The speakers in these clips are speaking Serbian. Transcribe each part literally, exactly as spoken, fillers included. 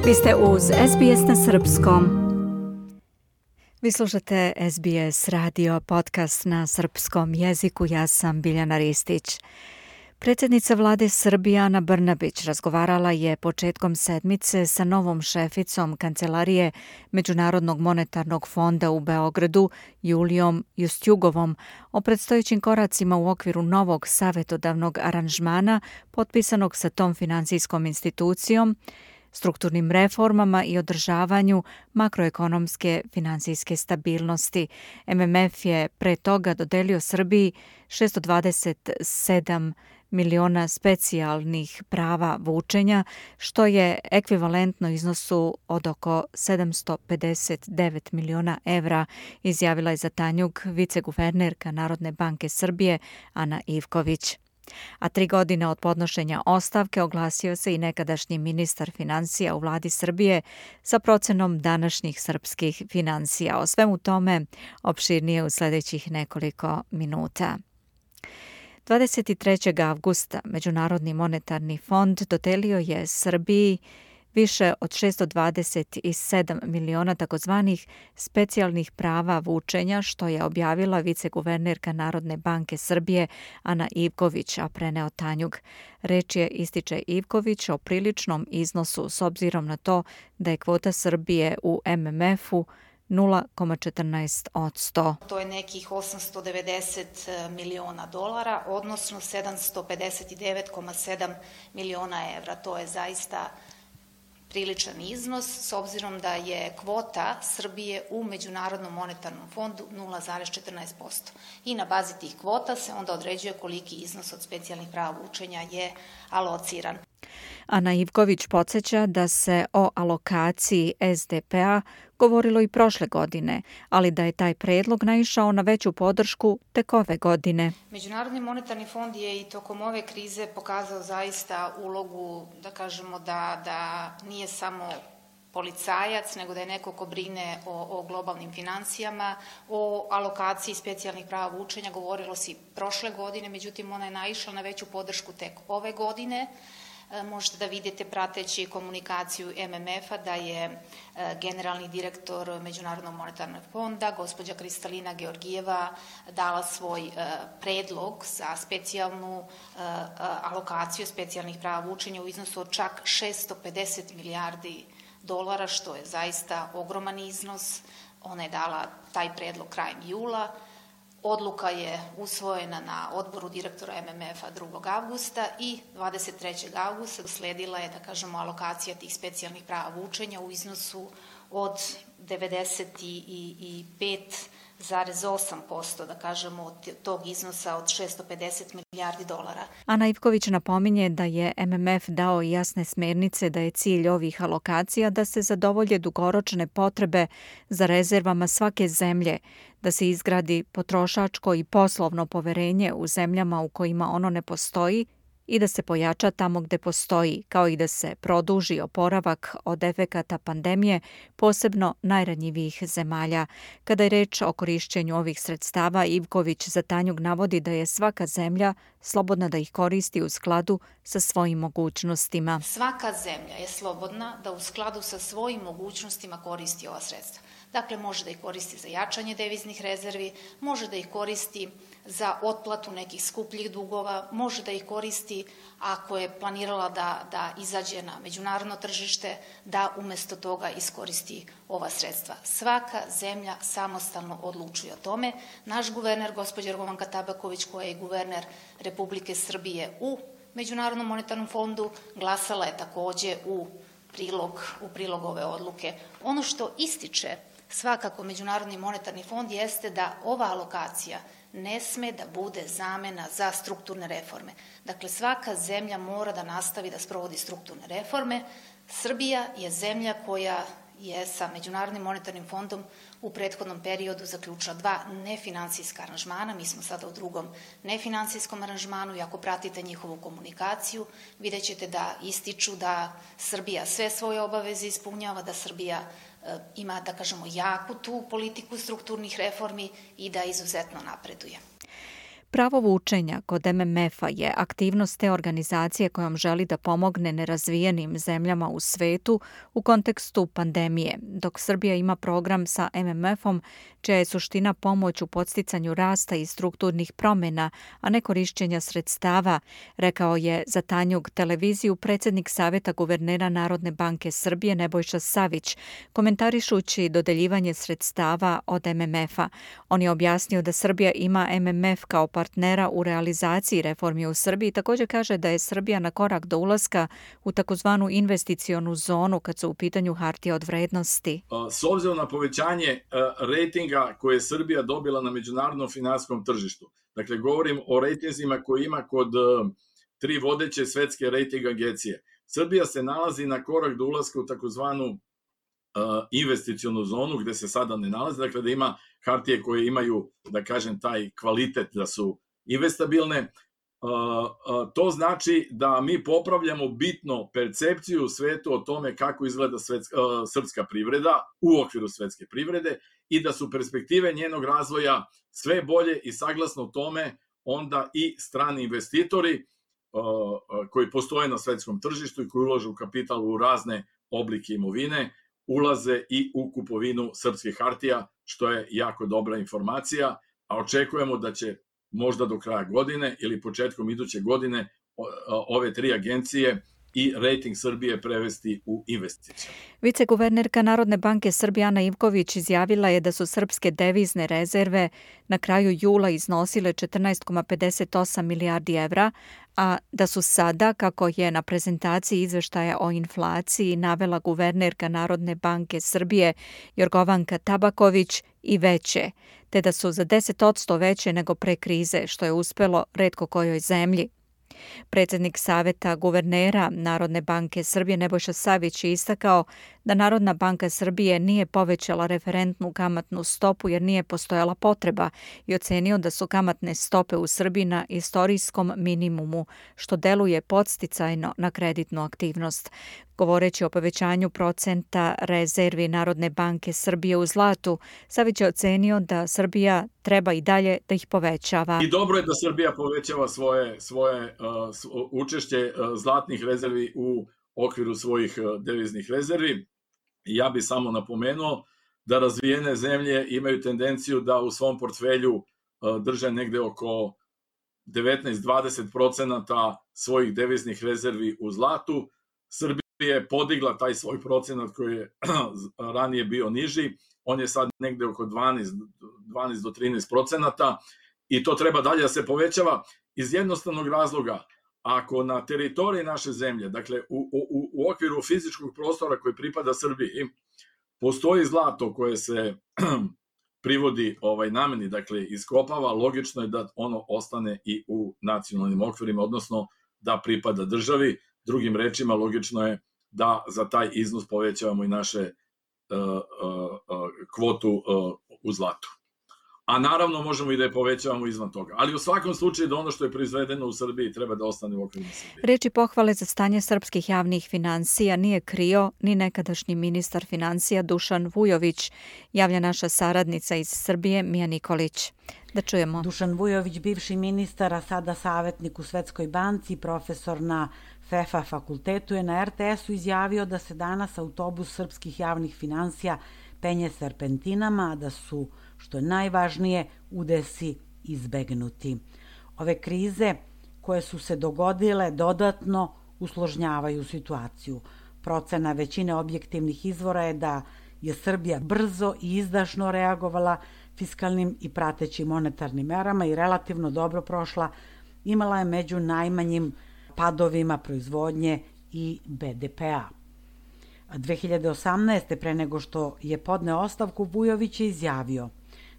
Vi ste uz S B S na srpskom. Vi slušate S B S radio podcast na srpskom jeziku. Ja sam Biljana Ristić. Predsjednica vlade Srbije Ana Brnabić razgovarala je početkom sedmice sa novom šeficom Kancelarije Međunarodnog monetarnog fonda u Beogradu, Julijom Justjugovom, o predstojećim koracima u okviru novog savjetodavnog aranžmana potpisanog sa tom finansijskom institucijom, strukturnim reformama i održavanju makroekonomske finansijske stabilnosti. M M F je pre toga dodelio Srbiji šesto dvadeset sedam miliona specijalnih prava vučenja, što je ekvivalentno iznosu od oko sedamsto pedeset devet miliona evra, izjavila je za Tanjug viceguvernerka Narodne banke Srbije Ana Ivković. A tri godine od podnošenja ostavke oglasio se i nekadašnji ministar finansija u vladi Srbije sa procenom današnjih srpskih finansija. O svemu tome opširnije u sljedećih nekoliko minuta. dvadeset trećeg avgusta Međunarodni monetarni fond dodelio je Srbiji više od šesto dvadeset sedam miliona takozvanih specijalnih prava vučenja, što je objavila viceguvernerka Narodne banke Srbije Ana Ivković, a preneo Tanjug. Reč je, ističe Ivković, o priličnom iznosu s obzirom na to da je kvota Srbije u M M F-u nula zarez četrnaest posto. To je nekih osamsto devedeset miliona dolara, odnosno sedamsto pedeset devet zarez sedam miliona evra. To je zaista priličan iznos, s obzirom da je kvota Srbije u Međunarodnom monetarnom fondu nula zarez četrnaest posto. I na bazi tih kvota se onda određuje koliki iznos od specijalnih prava vučenja je alociran. Ana Ivković podsjeća da se o alokaciji S D P-a govorilo i prošle godine, ali da je taj predlog naišao na veću podršku tek ove godine. Međunarodni monetarni fond je i tokom ove krize pokazao zaista ulogu, da kažemo da, da nije samo policajac, nego da je neko ko brine o, o globalnim financijama. O alokaciji specijalnih prava vučenja govorilo se prošle godine, međutim ona je naišla na veću podršku tek ove godine. Možete da vidite prateći komunikaciju M M F-a da je generalni direktor Međunarodnog monetarnog fonda, gospođa Kristalina Georgijeva, dala svoj predlog za specijalnu alokaciju specijalnih prava vučenja u iznosu od čak šesto pedeset milijardi dolara, što je zaista ogroman iznos. Ona je dala taj predlog krajem jula. Odluka je usvojena na odboru direktora M M F-a drugog avgusta i dvadeset trećeg avgusta sledila je, da kažemo, alokacija tih specijalnih prava vučenja u iznosu od devedeset pet zarez osam posto, da kažemo, od tog iznosa od šesto pedeset milijardi dolara. Ana Ivković napominje da je M M F dao jasne smernice da je cilj ovih alokacija da se zadovolje dugoročne potrebe za rezervama svake zemlje, da se izgradi potrošačko i poslovno poverenje u zemljama u kojima ono ne postoji i da se pojača tamo gde postoji, kao i da se produži oporavak od efekata pandemije, posebno najranjivijih zemalja. Kada je reč o korišćenju ovih sredstava, Ivković za Tanjug navodi da je svaka zemlja slobodna da ih koristi u skladu sa svojim mogućnostima. Svaka zemlja je slobodna da u skladu sa svojim mogućnostima koristi ova sredstva. Dakle, može da ih koristi za jačanje deviznih rezervi, može da ih koristi za otplatu nekih skupljih dugova, može da ih koristi ako je planirala da, da izađe na međunarodno tržište, da umesto toga iskoristi ova sredstva. Svaka zemlja samostalno odlučuje o tome. Naš guverner, gospođa Jorgovanka Tabaković, koja je guverner Republike Srbije u Međunarodnom monetarnom fondu, glasala je takođe u prilog, u prilog ove odluke. Ono što ističe svakako Međunarodni monetarni fond jeste da ova alokacija ne sme da bude zamena za strukturne reforme. Dakle, svaka zemlja mora da nastavi da sprovodi strukturne reforme. Srbija je zemlja koja je sa Međunarodnim monetarnim fondom u prethodnom periodu zaključila dva nefinansijska aranžmana. Mi smo sada u drugom nefinansijskom aranžmanu i ako pratite njihovu komunikaciju, vidjet ćete da ističu da Srbija sve svoje obaveze ispunjava, da Srbija ima, da kažemo, jaku tu politiku strukturnih reformi i da izuzetno napreduje. Pravo vučenja kod M M F-a je aktivnost te organizacije kojom želi da pomogne nerazvijenim zemljama u svetu u kontekstu pandemije, dok Srbija ima program sa M M F-om čija je suština pomoć u podsticanju rasta i strukturnih promjena, a ne korišćenja sredstava, rekao je za Tanjug televiziju predsjednik Saveta guvernera Narodne banke Srbije Nebojša Savić, komentarišući dodeljivanje sredstava od M M F-a. On je objasnio da Srbija ima M M F kao partnera u realizaciji reformi u Srbiji. Također kaže da je Srbija na korak do ulaska u takozvanu investicionu zonu kad su u pitanju hartije od vrednosti. S obzirom na povećanje rejtinga koje je Srbija dobila na međunarodnom finansijskom tržištu, dakle govorim o rejtinzima koje ima kod tri vodeće svetske rejting agencije, Srbija se nalazi na korak do ulaska u takozvanu investicionu zonu gde se sada ne nalazi, dakle da ima hartije koje imaju, da kažem, taj kvalitet da su investabilne. To znači da mi popravljamo bitno percepciju u svetu o tome kako izgleda svetska, srpska privreda u okviru svetske privrede i da su perspektive njenog razvoja sve bolje i saglasno tome onda i strani investitori koji postoje na svetskom tržištu i koji ulažu kapital u razne oblike imovine, ulaze i u kupovinu srpskih hartija, što je jako dobra informacija, a očekujemo da će možda do kraja godine ili početkom iduće godine ove tri agencije i rejting Srbije prevesti u investiciju. Viceguvernerka Narodne banke Srbije Ana Ivković izjavila je da su srpske devizne rezerve na kraju jula iznosile četrnaest zarez pedeset osam milijardi evra, a da su sada, kako je na prezentaciji izveštaja o inflaciji navela guvernerka Narodne banke Srbije Jorgovanka Tabaković, i veće, te da su za deset posto veće nego pre krize, što je uspelo retko kojoj zemlji. Predsjednik Saveta guvernera Narodne banke Srbije Nebojša Savić je istakao da Narodna banka Srbije nije povećala referentnu kamatnu stopu jer nije postojala potreba i ocenio da su kamatne stope u Srbiji na istorijskom minimumu, što deluje podsticajno na kreditnu aktivnost. Govoreći o povećanju procenta rezervi Narodne banke Srbije u zlatu, Savić je ocenio da Srbija treba i dalje da ih povećava. I dobro je da Srbija povećava svoje, svoje uh, učešće uh, zlatnih rezervi u okviru svojih uh, deviznih rezervi. Ja bih samo napomenuo da razvijene zemlje imaju tendenciju da u svom portfelju uh, drže negde oko devetnaest do dvadeset procenata svojih deviznih rezervi u zlatu. Srbija je podigla taj svoj procenat koji je ranije bio niži, on je sad negde oko dvanaest do trinaest procenata i to treba dalje da se povećava iz jednostavnog razloga. Ako na teritoriji naše zemlje, dakle u, u, u okviru fizičkog prostora koji pripada Srbiji, postoji zlato koje se privodi ovaj nameni, dakle iskopava, logično je da ono ostane i u nacionalnim okvirima, odnosno da pripada državi. Drugim rečima, logično je da za taj iznos povećavamo i naše uh, uh, kvotu uh, u zlatu. A naravno možemo i da je povećavamo izvan toga. Ali u svakom slučaju da ono što je proizvedeno u Srbiji treba da ostane u okviru Srbije. Reči pohvale za stanje srpskih javnih finansija nije krio ni nekadašnji ministar finansija Dušan Vujović, javlja naša saradnica iz Srbije Mija Nikolić. Da čujemo. Dušan Vujović, bivši ministar, a sada savjetnik u Svetskoj banci, profesor na F E F A fakultetu, je na R T S-u izjavio da se danas autobus srpskih javnih finansija penje serpentinama, a da su, što je najvažnije, udesi izbegnuti. Ove krize koje su se dogodile dodatno usložnjavaju situaciju. Procena većine objektivnih izvora je da je Srbija brzo i izdašno reagovala fiskalnim i pratećim monetarnim merama i relativno dobro prošla, imala je među najmanjim padovima proizvodnje i B D P-a. dve hiljade osamnaeste. pre nego što je podneo ostavku, Vujović je izjavio: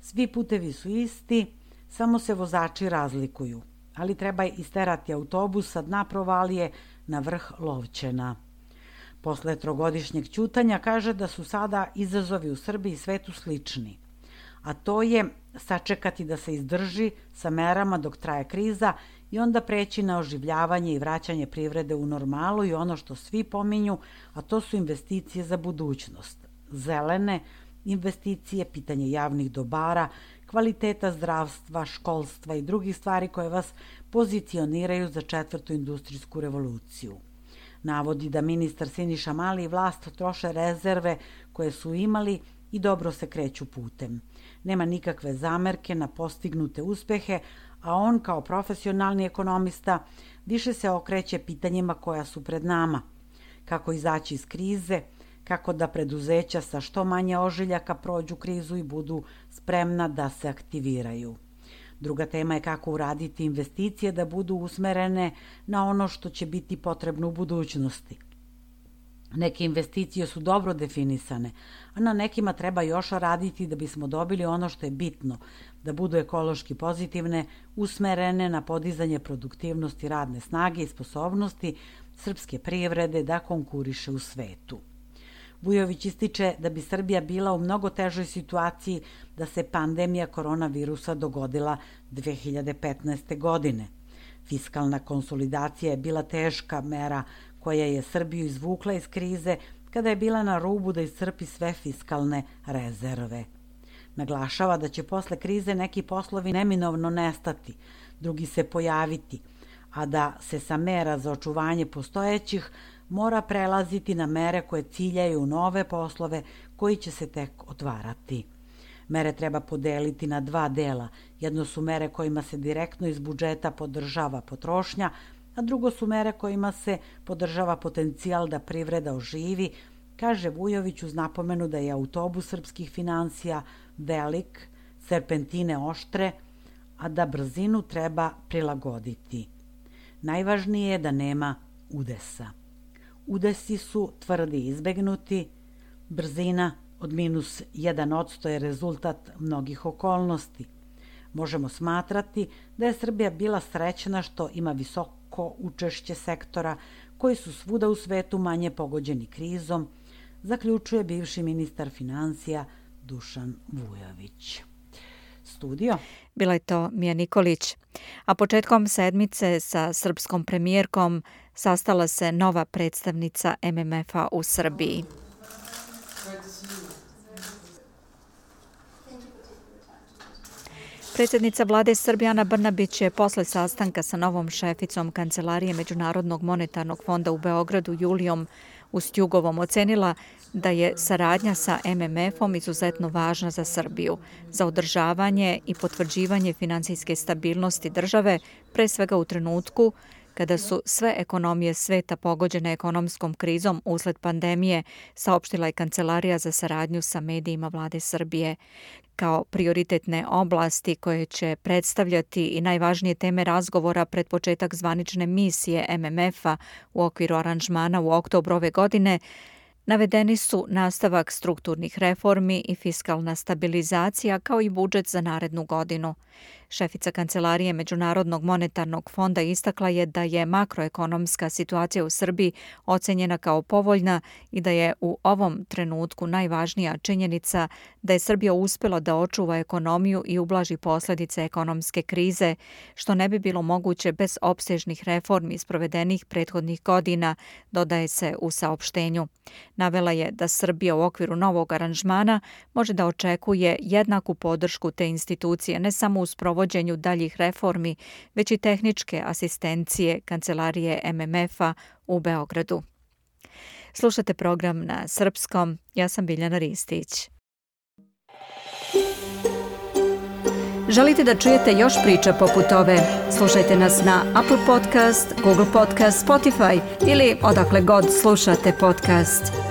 svi putevi su isti, samo se vozači razlikuju, ali treba isterati autobus sa dna provalije na vrh Lovćena. Posle trogodišnjeg ćutanja kaže da su sada izazovi u Srbiji i svetu slični, a to je sačekati da se izdrži sa merama dok traje kriza i onda preći na oživljavanje i vraćanje privrede u normalu i ono što svi pominju, a to su investicije za budućnost, zelene, investicije, pitanje javnih dobara, kvaliteta zdravstva, školstva i drugih stvari koje vas pozicioniraju za četvrtu industrijsku revoluciju. Navodi da ministar Siniša Mali i vlast troše rezerve koje su imali i dobro se kreću putem. Nema nikakve zamerke na postignute uspehe, a on kao profesionalni ekonomista više se okreće pitanjima koja su pred nama. Kako izaći iz krize, kako da preduzeća sa što manje ožiljaka prođu krizu i budu spremna da se aktiviraju. Druga tema je kako uraditi investicije da budu usmerene na ono što će biti potrebno u budućnosti. Neke investicije su dobro definisane, a na nekima treba još raditi da bismo dobili ono što je bitno, da budu ekološki pozitivne, usmerene na podizanje produktivnosti radne snage i sposobnosti srpske privrede da konkuriše u svetu. Vujović ističe da bi Srbija bila u mnogo težoj situaciji da se pandemija koronavirusa dogodila dve hiljade petnaeste. godine. Fiskalna konsolidacija je bila teška mera koja je Srbiju izvukla iz krize kada je bila na rubu da iscrpi sve fiskalne rezerve. Naglašava da će posle krize neki poslovi neminovno nestati, drugi se pojaviti, a da se sa mera za očuvanje postojećih mora prelaziti na mere koje ciljaju nove poslove koji će se tek otvarati. Mere treba podeliti na dva dela. Jedno su mere kojima se direktno iz budžeta podržava potrošnja, a drugo su mere kojima se podržava potencijal da privreda oživi, kaže Vujović uz napomenu da je autobus srpskih finansija velik, serpentine oštre, a da brzinu treba prilagoditi. Najvažnije je da nema udesa. Udesi su tvrdi izbegnuti, brzina od minus jedan odsto je rezultat mnogih okolnosti. Možemo smatrati da je Srbija bila srećna što ima visoko učešće sektora koji su svuda u svetu manje pogođeni krizom, zaključuje bivši ministar finansija Dušan Vujović. Studio. Bila je to Mija Nikolić. A početkom sedmice sa srpskom premijerkom sastala se nova predstavnica M M F-a u Srbiji. Predsjednica vlade Srbije Ana Brnabić je posle sastanka sa novom šeficom Kancelarije Međunarodnog monetarnog fonda u Beogradu Julijom Ustjugovom ocenila da je saradnja sa M M F-om izuzetno važna za Srbiju, za održavanje i potvrđivanje finansijske stabilnosti države, pre svega u trenutku kada su sve ekonomije sveta pogođene ekonomskom krizom usled pandemije, saopštila je Kancelarija za saradnju sa medijima vlade Srbije. Kao prioritetne oblasti koje će predstavljati i najvažnije teme razgovora pred početak zvanične misije M M F-a u okviru aranžmana u oktobru ove godine, navedeni su nastavak strukturnih reformi i fiskalna stabilizacija kao i budžet za narednu godinu. Šefica Kancelarije Međunarodnog monetarnog fonda istakla je da je makroekonomska situacija u Srbiji ocenjena kao povoljna i da je u ovom trenutku najvažnija činjenica da je Srbija uspjela da očuva ekonomiju i ublaži posljedice ekonomske krize, što ne bi bilo moguće bez opsežnih reformi sprovedenih prethodnih godina, dodaje se u saopštenju. Navela je da Srbija u okviru novog aranžmana može da očekuje jednaku podršku te institucije ne samo u sprovođenju daljih reformi, već i tehničke asistencije Kancelarije M M F-a u Beogradu. Slušate program na srpskom. Ja sam Biljana Ristić. Želite da čujete još priča poput ove? Slušajte nas na Apple Podcast, Google Podcast, Spotify ili odakle god slušate podcast.